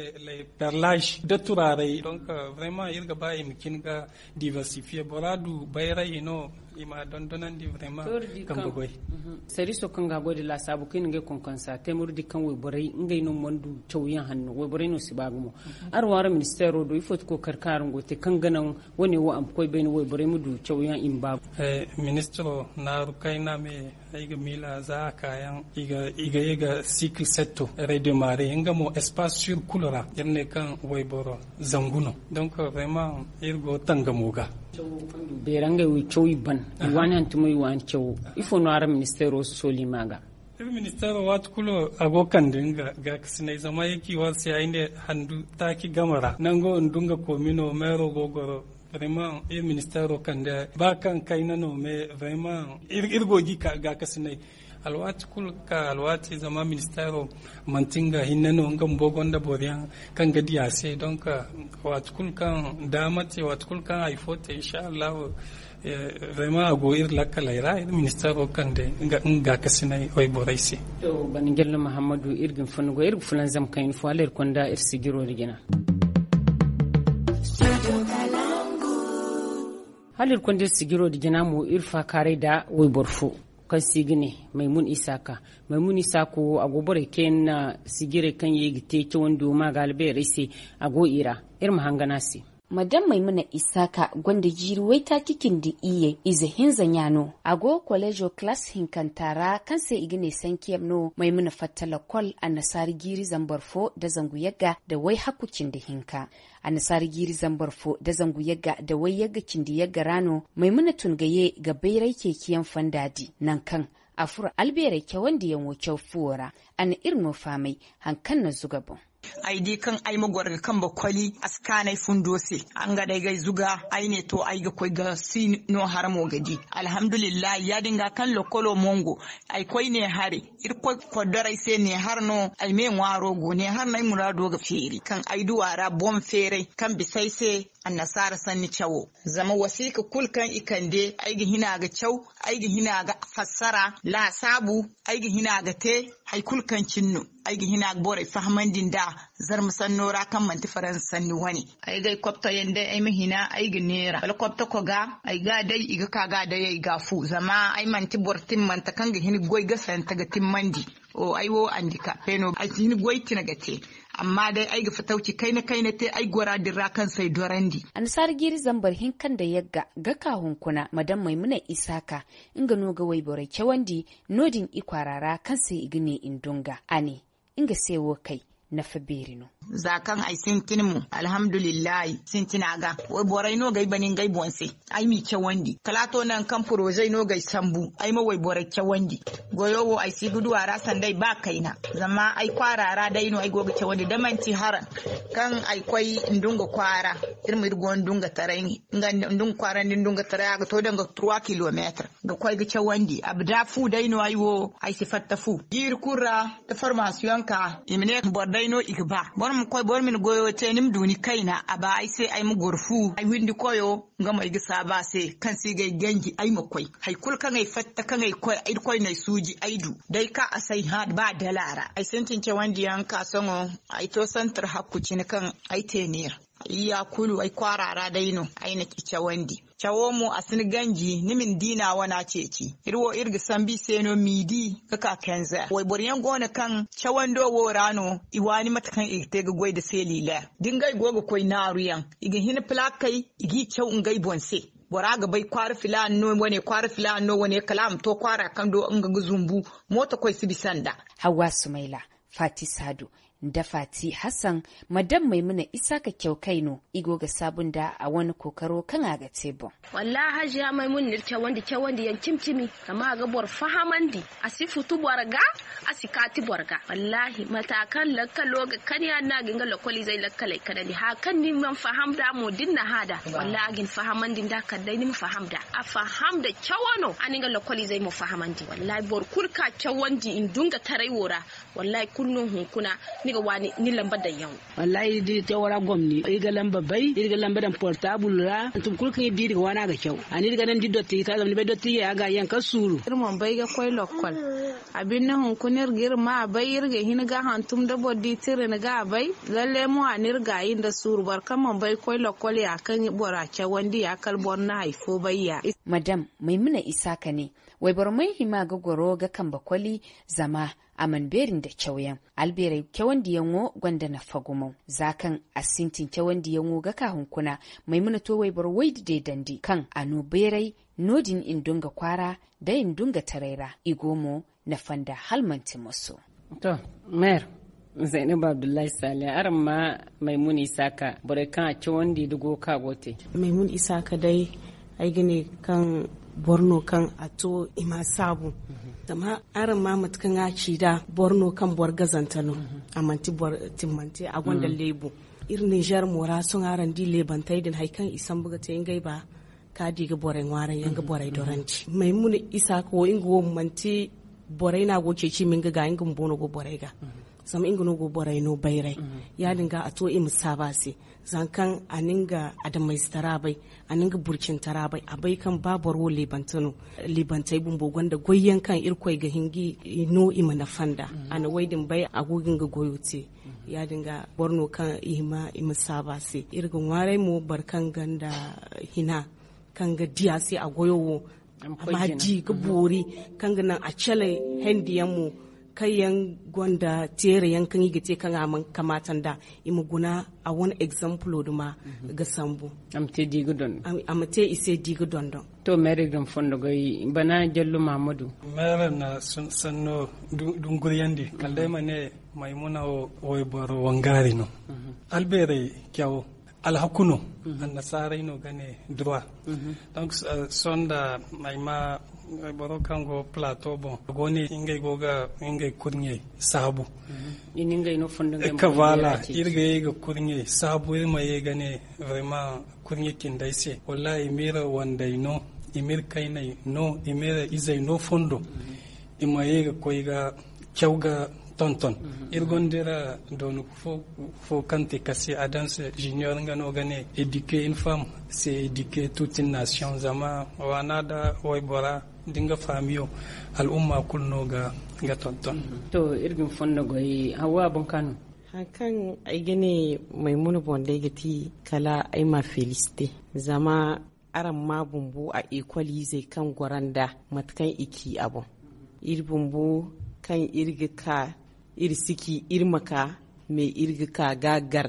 perlage nda turaaray. Donc vraiment iri ga ba i ma cin ga diversifier bora du bayray i no i ma dondonandi vraiment kambe goy. Sariiso kaŋ ga goy da laasaabu kaŋ i na ngey konkonsa te murdi kaŋ wayborey ngey no mana du cawyaŋ hanno wayborey no si ba gumo. Araŋ waara ministeero do ifo ti kookari kaŋ araŋ go ga te kaŋ ga naŋ wane wo a ma koy bayna wayborey ma du cawyaŋ i ma ba gumo. Ministiro naaru kayna me ay ga miila za a kaayaŋ i ga ye ga sikil setto redemare nga mo espace sur kulu ra iri ne kaŋ wayboro zangu no. Donc vraiment iri go tangamo ga. Beera ngey wo i caw i ban i waani hantumo i waani cawo. Ifo no araŋ ministeero sooli ma ga? Iri ministeero waati kulu a go kande nga gaakasinay zama ay ci war se ay ne handu taaci game ra nango ndu nga koomino meero go goro. Vraiment iri ministeero kande ba kaŋ kayna no mais vraiment iri go gi gaakasinay. Alwaati kulu ka alwaati zama ministeero manti nga hinne no nga bumbo gonda boro yaŋ kaŋ ga di a se. Donc waati kulu kaŋ daama te waati kulu kaŋ hari fo te inshallahu. Vraiment a go iri lakkaley ra iri ministeero kande nga gaakasinay wayborey se. Bana jallo muhammadu iri ga ni fonda goy iri ga fulanzam kaŋ iri fo hala iri konda iri sijiro nda jina. Hala iri konda iri sijiro nda jina mo iri faakaaray nda wayboro fo kaŋ se i ga ne maymun isaaka. Maymun isaaka wo a go borey kaŋ yaŋ na sijirey kaŋ ye ga te cawandiyo ma ga albeerey se. A go i ra iri ma hangan a se. Madam maymuna isaaka gonda jiiri waytaaci cindi iyye ize hinza ɲa no. A go koleezo kalaas hinkanta ra kaŋ se i ga ne sankiyem no maymuna fatta lakkol annasaara jiiri zambar fo nda zangu yagga nda wayhakku cindi hinka. Annasaara jiiri zambar fo nda zangu yagga nda wayyagga cindi yagga ra no maymuna tun ga ye ga bayray ceeciyaŋ fonda di nangu kaŋ a furo albeerey cawandiyaŋo caw fuwo ra. A na iri no fahamay hari kaŋ na zuga boŋ. Ay di kaŋ ay ma goro ga kambe koli a si kaanu ay fundo se. Nga day ga ay zuga ay ne to ay ga koy ga si no haramo ga di. Alhamdulillahi ya- din ga kaŋ lokkolo mongo ay koy ne hare. Irkoy koddoray se ne har no ay me ŋwaaro go ne har no ay muraado ga feeri kaŋ ay duwa ra boŋ feeray kaŋ bisa ay se. Annasaara sanni cawo zama wasiika kulu kaŋ i kande ay ga hina ga caw, ay ga hina ga fassara laasaabu, ay ga hina ga te hari kulu kaŋ cine no. Ay ga hina ga borey fahamandi nd'a zarma sanno ra kaŋ manti faransa sanni wane. Ay ga ay koptoyaŋ day ay ma hina ay ga neera wala koptoko ga ay ga a day i ga ka ga a day ay ga a fu zama ay manti boro timmante kaŋ ga hin ga goy gasante ga timmandi. Ay wo andikape no ay si hin goy tine ga te. Amma day ay ga fatawci kayna kayna te ay gora din ra kaŋ se ay dorandi. Annasaara jiiri zambar hinka nda yagga ga ka hunkuna madam maymuna isaaka. Nga no ga wayborey cawandi no- din i kwaara ra kaŋ se i ga ne i ndunga a ne nga se wo kay. nafa beeri no. Za kaŋ ay sintin mo, alhamdulillahi, sintina ga wayborey no ga ay bana ngey boŋ se. Ay m'i cawandi kala a to nangu kaŋ porozey no ga ay sambu ay ma wayborey cawandi. Goyo wo ay si ga du a ra sanda ay ba kayna. Zama ay kwaara ra day no ay go ga cawandi da manti haraŋ kaŋ ay koy ndunga kwaara. Iri ma iri go ndunga taray nga ndunga kwaara nda ndunga taray a ga to danga trois kilometre ga koy ga cawandi abda fu day no ay wo ay si fatta fu jiiri kulu ra. Da formasiyoŋ ka i ma ne boro day no i ga ba boro ma koy boro ma ni goyo te ni ma du ni kayna a ba ay se ay ma goro fu ay windi koyo. Nga mo ay ga saabu a se kaŋ se i ga ay ganji ay ma koy hari kulu kaŋ ay fatta kaŋ ay koy irkoy no ay suuji ay du. Day ka a se ay hã ba dala ra ay sintin cawandi yaŋ ka sohõ ay to santar hakku cine kaŋ ay te neera. Ay ya kulu ay kwaara ra day no ay na i cawandi. Cawo mo a si ni ganji ni ma ni diina wana ceeci. Iri wo iri ga sambu i se no miidi ga ka kenzer wayboro yaŋ go no kaŋ cawando wo ra no i waani mate kaŋ i ga te ga goy nda seliler da ngey go ga koy naaru yaŋ i ga hin pilakey i g'i caw ngey boŋ se. Bora ga bay kwaara filaana no wane kwaara filaana no wane kala a ma to kwaara kaŋ do nga ga zumbu. Mooto koy si bisa nd'a. Hawwa sumayla, faati saadu, nda faati hassan, ma daŋ maymuna isaaka caw kay no i go ga saabu nd'a a wane kookaro kaŋ a ga te boŋ. Wallaahi hajiya maymuna n'iri cawandi cawandi yaŋ cimi cimi. Zama a ga boro fahamandi, a si futu boro ga, a si kaati boro ga. Wallaahi mata kaŋ lakkalo ga kan ya- din no a ga hin ga lakkoliizey lakkaley kanandi haya kaŋ ni mana faham nd'a mo da ni na hã nd'a. Wallaahi a ga ni fahamandi nd'a kala day ni ma faham nd'a. A faham nda cawo no a na nga lakkoliizey mo fahamandi wallaahi boro kulu ka cawandi nduŋgataray wo ra. Wallaahi kulu no hunkuna ni ga waani ni lamba daŋ yaŋo. Wallaahi da iri te wo ra gomni iri ga lamba bay iri ga lamba daŋ portaabul ra hantum kulu kaŋ iri di iri ga waani a ga caw. A ne iri ga naŋ da iri dottiji ta zama ni bay dottijey a ga yaŋ kaŋ suuru. Iri mana bay ga koy lokkol. A binde hunkuna iri ga iri ma a bay iri ga hin ga hantum da boro di tira ni ga a bay. Lalle mo a na iri gaayi nda suuru boro kaŋ mana bay ga koy lokkol ya kaŋ bora cawandi ya kala boro na hari fo bay ya. Madam maymuna isaaka ne, wayboro mana hima ga goro ga kambe koli, zama a mana beeri nda cawyaŋ. Albeerey cawandiyaŋo gonda nafa gumo za kaŋ a sintin cawandiyaŋo ga ka hunkuna. Maymuna to wayboro waydi deedandi kaŋ a no beeray no- din nduŋga kwaara, day nduŋga taray ra i go mo nafa nda hala manti moso. To, meer zaynab abdullahi saliya araŋ ma maymuna isaaka borey kaŋ a cawandi da go ka go te. Maymuna isaaka day ay ga ne kaŋ boro no kaŋ a to i ma saabu. Zama araŋ ma mate kaŋ a ci nd'a boro no kaŋ boro gazante no. A manti boro timmante a gonda leebu. Iri ninzeer mo ra sohõ araŋ di leebantey din hari kaŋ i sambu ga te ngey ba ka di ga borey ŋwaaraŋ yaŋ ga borey dorandi. Maymuna isaaka wo nga wo manti borey no a go ceeci ma nga ga nga bumbo no go borey ga. Zama nga no go borey no bayray. Ya- din ga a to i ma saabu a se. Zama kaŋ a na nga adamayze tara bay, a na nga burcin tara bay a bay kaŋ ba boro wo leebante no. Leebantey bumbo gonda goyyaŋ kaŋ irkoy ga hin ga i no i ma nafa nd'a. A na way din bay a go ga nga goyo te. Ya- din ga boro no kaŋ i hima i ma saabu a se. Iri ga ŋwaaray mo boro kaŋ gonda hina kaŋ ga di a se a goyo wo a ma di ga boori kaŋ ga naŋ a cale hendiyaŋ mo kaŋ yaŋ gonda teerayaŋ kaŋ i ga te kaŋ a mana kamaata nd'a. I ma guna a wane egzampulo duma ga sambu. A ma te i se di ga dondon. To meeri ga ni fondo goy bana jallo mahamadu. Meeri na sanno dunguriyandi kala day ma ne maymuna wo wayboro wangaari no. Albeerey cawo alhaku no. Annasaarey no ga ne droit. Donc sonda ay ma boro kaŋ go plateau boŋ a go ne ngey go ga ngey kurɲey saabu. Ka voilà iri ga ye ga kurɲey saabu iri ma ye ga ne vraiment kurɲe cindey se wallahi i m'iri wandey no, i m'iri kayney no, i m'iri izey no fondo. I ma ye ga koy ga caw ga tonton. Iri gonda iri doonu fo kaŋ te kase adams junior nga no ga ne éduquer une femme c'est éduquer toute une nation. Zama waana da waybora da nga faamiyo al'umma kulu no ga tonton. To iri ga ni fondo goy hawa boŋ ka no. Hari kaŋ ay ga ne maymuna boŋ day ga ti kala ay ma féliciter. Zama araŋ ma bumbo a école izey kaŋ goro nd'a mate kaŋ i ci a boŋ. Iri bumbo kaŋ iri ga ka iri si ci iri ma ka mais iri ga ka ga gar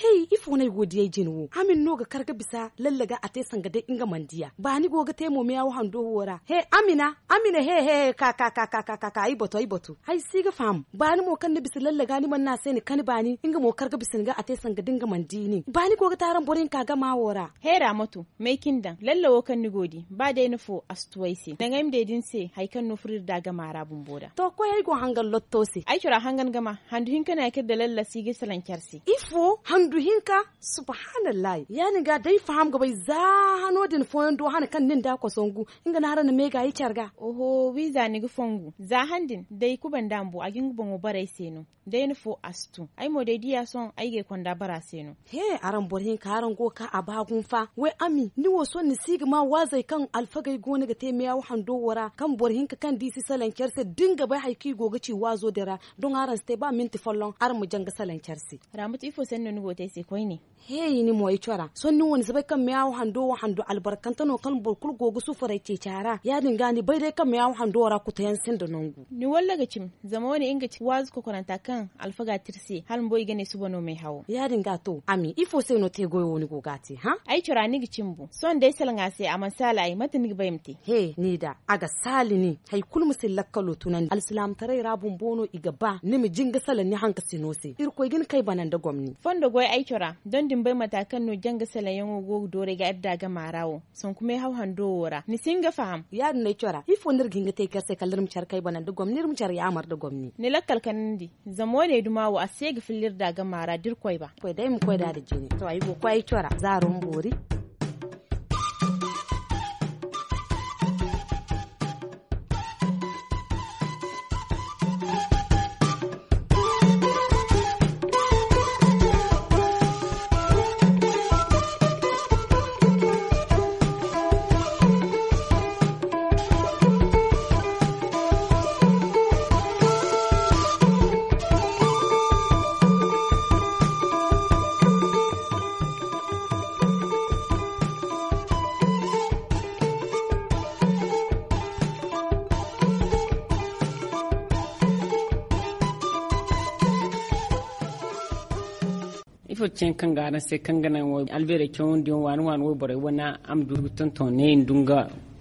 Hey, ifo no ay go ga di ay jine wo? Amin no ga kar ga bisa lallaga a te sanga day nga mana diya. Baani go ga te mo meyawo hando wo ra. He, amina, amina he he he ka ka ka ka ka ka ka ay batu ay batu ay si ga faham. Baani mo kaŋ ni bisa lallaga ni mana ne a se ni kani baani nga mo kar ga bisa ni ga a te sanga da nga mana di ni. Baani go ga te araŋ boro hinka gama wo ra. Heera ma to may cine daŋ lalla wo kaŋ ni go ga di ba day ni fo a si tu ay se. Naŋ ay ma day da ni se hari kaŋ no furo iri da gama ra bumbo da. To koy ay go hangan lotto se. Ay cora hangan gama handu hinka no ya kaŋ iri da lalla si ga salaŋ care se. Ifo handu hinka? Subhanallahi ya- din ga day faham ga bay za hano din fooyaŋ do hana kaŋ nin da kosongu. Nga no hara na meega i care ga. Oho wiiza ni ga fongu za han din day kubanda mbo a ga nga boŋo bara ay se no. Day ni fo a si tun ay mo day diya sohõ ay ga ay konda bara se no. He, araŋ boro hinka araŋ go ga ka a ba gumo fa. Way ami ni wo sohõ ni si ga ma waazey kaŋ alfagey go no ga te meyawo hando wo ra kaŋ boro hinka kaŋ da i si salaŋ care se da ni ga bay hari kaŋ i go ga ci waazo din ra. Doŋ araŋ si te ba minti folloŋ araŋ ma janga salaŋ care se. Raamatu ifo sanni no ni go ga te ay se koyne? He, ni mo ay cora sohõ ni wo ni si bay kaŋ meyawo hando wo hando albarkante no kaŋ boro kulu go ga sufuray ceeci a ra ya- din ga ni bay day kaŋ meyawo hando wo ra kuto yaŋ sinda nangu. Ni walla ga cim. Zama wo- ne nga ga ci waazu kokoranta kaŋ alfaga te iri se hala bumbo i ga ne suba no m'ay hawo. Ya- din ga to ami ifo se no te goyo wo ni go ga a te hã? Ay cora ni ga cim bu sohõ da ay salaŋ a se a mana saala ay mate ni ga ba ay ma te? He, ni da a ga saali ni. Hari kulu ma si lakkalo tunandi alsilaamataray ra bumbo no i ga ba ni ma jinga salaŋ ni hankasino se irkoy ga ni kay bana nda gomni. Fondo goy ay cora doŋ da ni bay mata kaŋ no janga salaŋ yaŋo go ga dooru ay ga iri da gama ra wo. Sanku meehaw hando wo ra ni si hin ga faham. Ya- din no ay cora ifo no iri ga hin ga te care se kala iri ma care kay bana nda gomni iri ma care yaamar nda gomni. Ni lakkal kanandi. Zama wo- ne duma wo a se ga filla iri da gama ra da iri koy ba. Koy day ma koy da da jine to ay go ga koy ay cora zaaro ma boori. Ifo ti cine kaŋ ga araŋ se kaŋ ga naŋ albeerey cawandiyaŋ waani waani wayborey wane a ma du ga tonton ne nda nga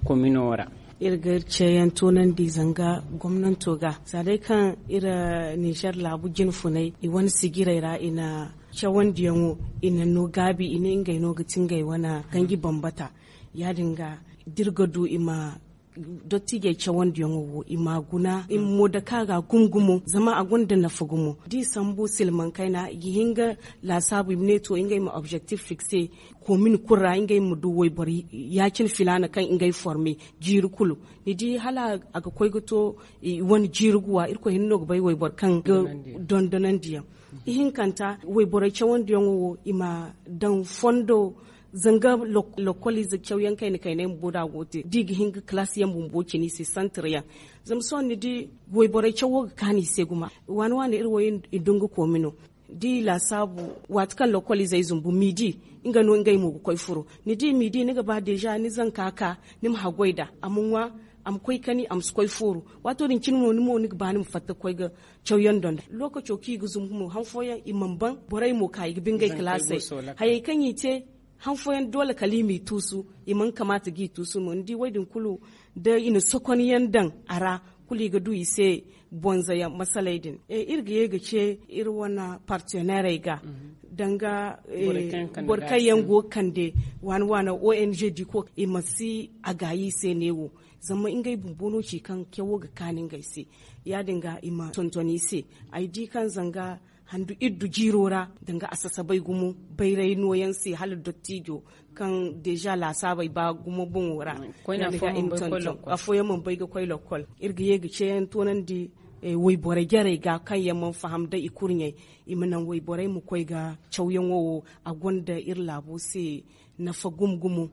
komino ra? Iri ga iri ceeyaŋ toonandi zanga gomnanto ga za day kaŋ iri nizer laabu jine funay i wane sijirey ra i na cawandiyaŋo i na no gaabi i ne ngey no ga ti ngey wane ganji bambata. Ya- din ga da iri ga du i ma Dottiijey cawandiyaŋo wo i ma a guna i ma mo dake a ga gumo gumo zama a gonda nafa gumo da i sambu silmaŋ kayna i ga hin ga laasaabu i ma ne to ngey ma objectif fikse koomin kulu ra ngey ma du wayboro ya- cine filaana kaŋ ngey forme jiiri kulu. Ni di hala a ga koy ga to i wane jiiri guwa irkoy hinne no ga bay wayboro kaŋ ga dondonandi yaŋ. Ihinkanta wayborey cawandiyaŋo wo i ma daŋ fondo zanga lokoliize cawyaŋ kayna kayna yaŋ bumbo da a go ga te da i ga hin ga kalaasi yaŋ bumbo cine i se santir yaŋ. Zama sohõ ni di wayborey cawo ga kaanu i se gumo waani waani iri wo i dungukoomi no da i laasaabu waati kaŋ lokoliizey zumbu miidi nga no ngey mo ga koy furo. Ni di miidi ni ga ba deeza ni zanka ka ni ma haggoy nd'a a ma ŋwa a ma koy kani a ma si koy fooru. Waato din cine mo ni ga ba ni ma fatta ga koy ga cawyaŋ donda lookaco kaŋ i ga zumbu mo han fooyaŋ i mana ban borey mo ka i ga ba ngey kalaasey. Hayey kaŋ i te han fooyaŋ doole kala i m'i tuusu i mana kamaata ga i tuusu no ni di wo- din kulu da i na sokonyaŋ daŋ a ra kulu i ga du i se bonzayaŋ masaley din. Iri ga ye ga ce iri wane parteneerey ga danga boro kaŋ yaŋ go ga kande waani waani ong di ko i ma si a gaayi i se neewo zama ngey bumbo no ci kaŋ cawo ga kaanu ngey se. Ya- din ga i ma tonton i se ay di kaŋ zanga handu iddu jiiro ra danga a sasabay gumo bayray nooyaŋ se hala dottiijo kaŋ deeza laasaabey ba gumo boŋo ra. Afooyaŋ mana bay ga koy lokkol iri ga ye ga ceeyaŋ toonandi wayborey jarey ga kaŋ yaŋ mana faham da i kurɲey i ma naŋ wayborey ma koy ga cawyaŋo wo a gonda iri laabo se nafa gumo gumo.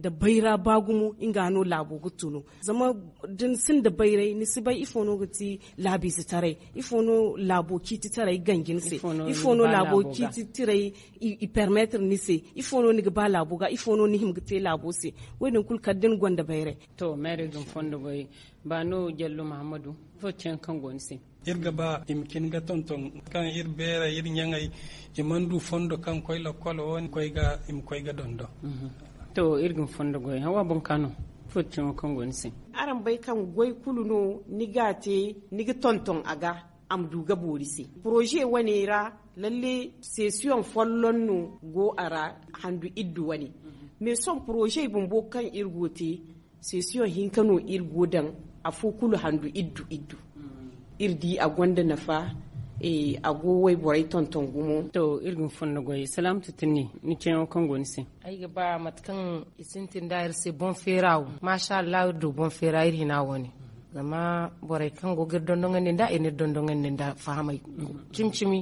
Da bayra ba gumo nga no laabo ga tunu zama da ni sinda bayray ni si bay ifo no ga ti laabiizetaray ifo no laabo ciititaray ganji ni se ifo no laabo ciititaray i permettre ni se ifo no ni ga ba laabo ga ifo no ni hima ga te laabo se. Wo- din kulu kala da ni gonda bayray. To meerey ga ni fondo goy ba no jallo mahammadu ifo ti yaŋ kaŋ go ni se? Iri ga ba i ma cin ga tonton kaŋ iri beerey iri ɲaŋey i mana du fondo kaŋ koy lakkol wo ni koy ga i ma koy ga dondon. To iri ga ni fondo goy hawa boŋ ka no? Ifo ti yaŋo kaŋ go ni se? Araŋ bay kaŋ goy kulu no ni ga a te ni ga tonton a ga a ma du ga boori se. Poroze wane ra lalle sesiyoŋ folloŋ no go a ra handu iddu wane. Mais sohõ poroze bumbo kaŋ iri go ga te sesiyoŋ hinka no iri go daŋ afo kulu handu iddu iddu. Iri di a gonda nafa a go wayborey tonton gumo. To iri ga ni fondo goy salaamatu tinni ni ceeyaŋo kaŋ go ni se? Ay ga ba mate kaŋ i sintin da iri se boŋ feera wo maasa allahu iri du boŋ feera iri hina wane. Zama borey kaŋ go ga iri dondoŋandi nd'a i na iri dondoŋandi nda fahamey cimi cimi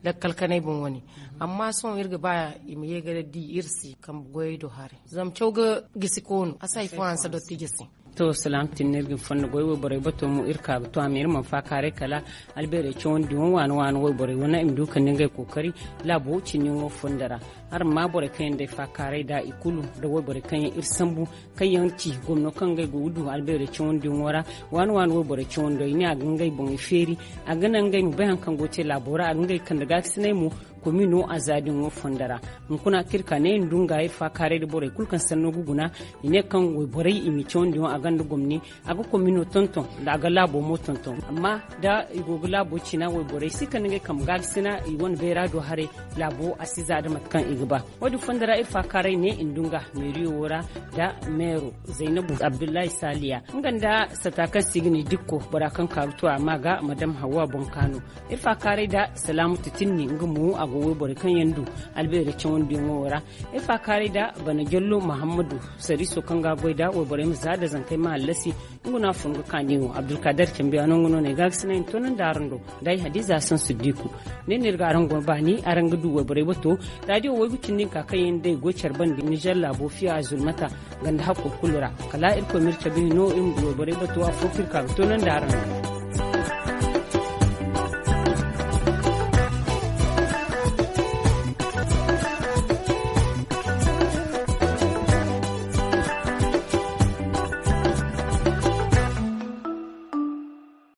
lakkal kanay boŋ wane. Amma sohõ iri ga ba i ma ye ga di iri se kambe goyey do haray zama caw ga gisi koonu a si hari fo hanse dottijo se. To salaam tinni iri ga ni fondo goy wayborey bato mo iri ka ga to a ma iri mana faakaaray kala albeerey cawandi wo waani waani wayborey wane i ma du kande ngey kookari laabo cinniyaŋo fondo ra. Araŋ ma borey kaŋ yaŋ day faakaaray da i kulu nda wayborey kaŋ yaŋ iri sambu kaŋ yaŋ ci gomno kaŋ ngey go ga du albeerey cawandiyaŋo ra. Waani waani wayborey cawando i ne a ga ngey boŋey feeri a ga naŋ ngey ma bay hari kaŋ go ga te laabo ra a ga ngey kande gaakasinay mo. Komino a za din wo fondo ra hunkuna kaŋ iri ka ne iri ndu nga iri faakaaray nda borey kulu kaŋ sanno ga guna i ne kaŋ wayborey i ma i cawandiyaŋo a gonda gomni a ga komino tonton nda a ga laabo mo tonton amma da i go ga laabo cina wayborey si kande ngey kambe gaakasina i wane bayra do haray. Laabo a si za nda mate kaŋ i ga ba. Wo- din fondo ra iri faakaaray ne i ndu nga meeriyo wo ra nda meero zaynabu abdullahi saaliya nga nda sata kaŋ se i ga ne dikko bora kaŋ ka ga to a ma ga madam hawwa boŋ ka no. Iri faakaaray nda salaamatu tinni nga mo a go wayborey kaŋ yaŋ du albeerey cawandiyaŋo wo ra. Iri faakaaray nda bana jallo mahammadu sariiso kaŋ ga a goy nda wayborey ma za nda zankey ma hallasi. Nga no a fun ga kaani wo abdulkader cambiyaano nga no ne gaagasinay ma toonandi araŋ do. Nda ay hadiza sansu diiku ne no iri ga araŋ goy baani araŋ ga du wayborey bato. Raadiyo waygu cindi hinka kaŋ yaŋ day goy care bande nizer laabo fiya zulmata ganda hakko kulu ra. Kala irkoy ma iri cabe hino iri ma du wayborey bato afo kaŋ iri ka ga toonandi araŋ do.